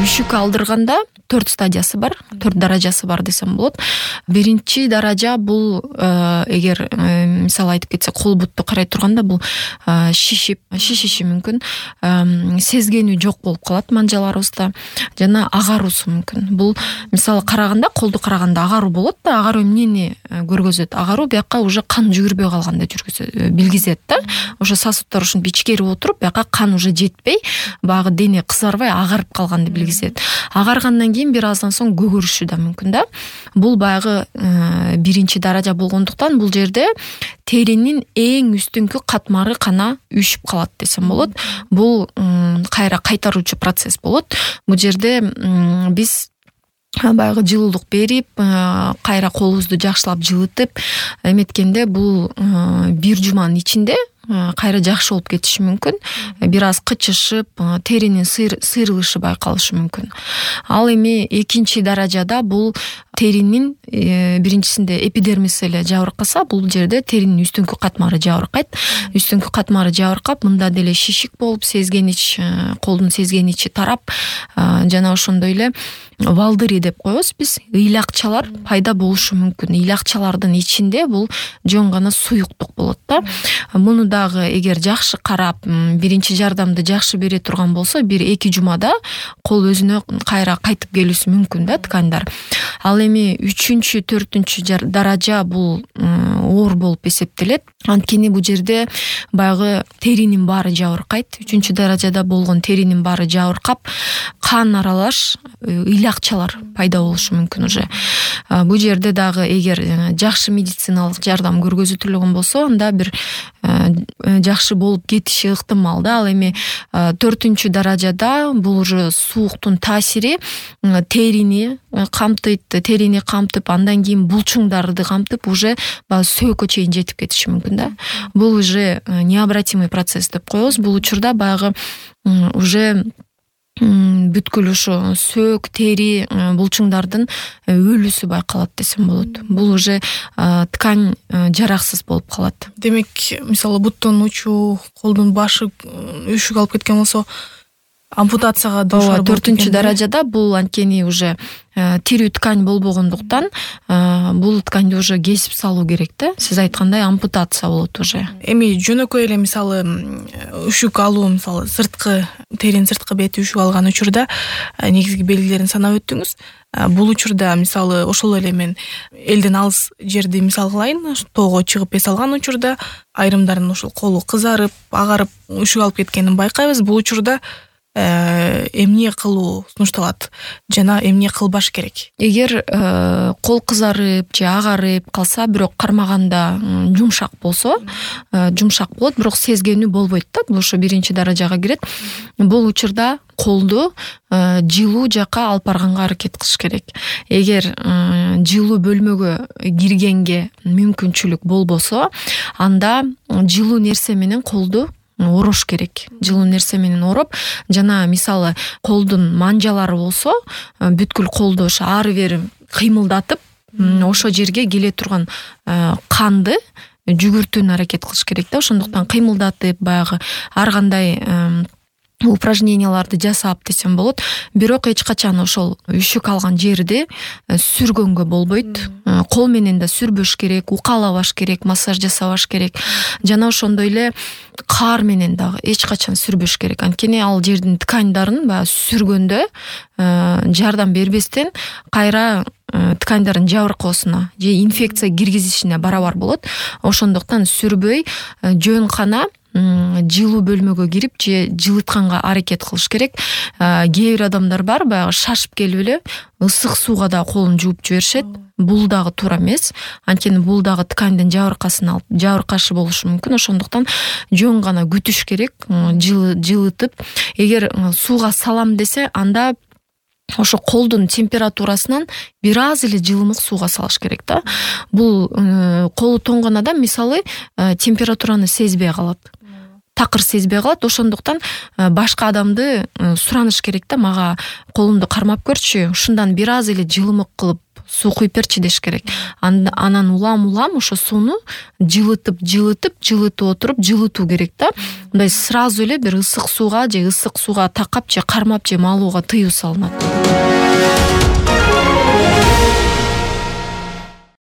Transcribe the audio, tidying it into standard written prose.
үшүк алдырганда 4 стадиясы бар, 4 даражасы бар десем болот. Биринчи даража бул эгер мисалы айтып кетсек, кол бутту карай турганда бул шишиши мүмкүн, сезгенүү жок болуп калат манжаларыбызда жана агаруусу мүмкүн. Бул мисалы караганда, колду караганда агаруу болот да, агаруу эмнени көргөзөт? Агаруу бияка уже кан жүгүрбөй калганда билгизет да. Ошо сосудтар ушинтип ичкерип отуруп, бияка кан уже жетпей, баягы дене кызарбай агарып калганды билгизет. Агаргандан кийин бир аздан соң көгөрүшү да мүмкүн да. Бул баягы биринчи даража болгондуктан бул жерде теринин эң үстүнкү катмары гана үшүп калат десем болот. Бул кайра кайтаруучу процесс болот. Бул жерде биз баягы жылуулук берип, кайра колубузду жакшылап жылытып эметкенде бул бир жуманын ичинде кайра жакшы болуп кетиши мүмкүн. Бир аз кычышып, теринин сыйрылышы байкалышы мүмкүн. Ал эми экинчи даражада бул теринин биринчисинде эпидермис эле жабыркаса, бул жерде теринин үстүнкү катмары жабыркайт. Үстүнкү катмары жабыркап, мында деле шишик болуп, сезгенич, колдун сезгеничи тарап, жана ошондой эле валдыри деп коебуз биз, ыйлакчалар пайда болушу мүмкүн. Ыйлакчалардын ичинде бул жөн гана суюктук болот да. Муну дагы эгер жакшы карап, биринчи жардамды жакшы бере турган болсо, 1-2 жумада кол өзүнө кайра кайтып келүүсү мүмкүн да, ткандар. Ал эми 3-4 даража бул оор болуп эсептелет. Анткени бул жерде баягы теринин баары жабыркайт. 3 даражада болгон теринин баары жабыркап, кан аралаш ыйлакчалар пайда болушу мүмкүн уже. Бул жерде дагы эгер жакшы медициналык жардам көргөзүлгөн болсо, анда бир жакшы болуп кетиши ыктымал да. Ал эми 4 даражада бул уже сууктун таасири терини камтып, андан кийин булчуңдарды камтып, уже сөөгкө чейин жетип кетиши мүмкүн да. Бул уже необратимый процесс деп коебуз. Бул учурда баягы уже бүткүл ошо сөөк, тери, булчуңдардын өлүүсү байкалат десем болот. Бул уже ткань жараксыз болуп калат. Демек, мисалы буттун учу, колдун башы үшүк алып кеткен болсо, ампутацияга дуушар болот. 4 даражада бул анткени уже тирүү ткань болбогондуктан бул тканьды уже кесип салуу керек да. Сиз айткандай ампутация болот уже. Эми жөнөкөй эле мисалы үшүк алуу, мисалы теринин сырткы бети үшүк алган учурда негизги белгилерин санап өттүңүз. Бул учурда мисалы ошол эле мен элден алыс жерди мисал кылайын, тоого чыгып эс алган учурда айрымдардын ошол колу кызарып, агарып үшүк алып кеткенин байкайбыз. Бул учурда эмне кылуу сунушталат жана эмне кылбаш керек? Эгер кол кызарып же агарып калса, бирок кармаганда жумшак болсо, жумшак болот, бирок сезгенүү болбойт да. Бул ошо биринчи даражага кирет. Бул учурда колду жылуу жака алып барганга аракет кылыш керек. Эгер жылуу бөлмөгө киргенге мүмкүнчүлүк болбосо, анда жылуу нерсе менен колду орош керек. Жылуу нерсе менен ороп, жана мисалы колдун манжалары болсо, бүткүл колду ошо ары бери кыймылдатып, ошо жерге келе турган канды жүгүртүүнү аракет кылыш керек да. Ошондуктан кыймылдатып, баягы ар кандай упражненияларды жасап десем болот. Бирок эч качан ошол үшүк алган жерди сүргөнгө болбойт. Кол менен да сүрбөш керек, укалабаш керек, массаж жасабаш керек. Жана ошондой эле каар менен дагы эч качан сүрбөш керек. Анткени ал жердин тканьдарын баягы сүргөндө жардам бербестен кайра тканьдардын жабыркоосуна же инфекция киргизишине барабар болот. Ошондуктан сүрбөй, жөн гана жылуу бөлмөгө кирип же жылытканга аракет кылыш керек. Кээ бир адамдар бар, баягы шашып келип эле ысык сууга да колун жууп жиберишет. Бул дагы туура эмес. Анткени бул дагы тканьдын жабыркасын алып, жабыркашы болушу мүмкүн. Ошондуктан жөн гана күтүш керек, жылытып. Эгер сууга салам десе, анда ошо колдун температурасынан бир аз эле жылымык сууга салыш керек да. Бул колу тоңгон адам мисалы температураны сезбей калат. Такыр сезбей калат. Ошондуктан башка адамды сураныш керек да, мага колумду кармап көрчү, ушундан бир аз эле жылымык кылып суу куюп берчи деш керек. Анан улам ошо сууну жылытып отуруп жылытуу керек да. Мындай сразу эле бир ысык сууга же такап же кармап же малууга тыюу салынат.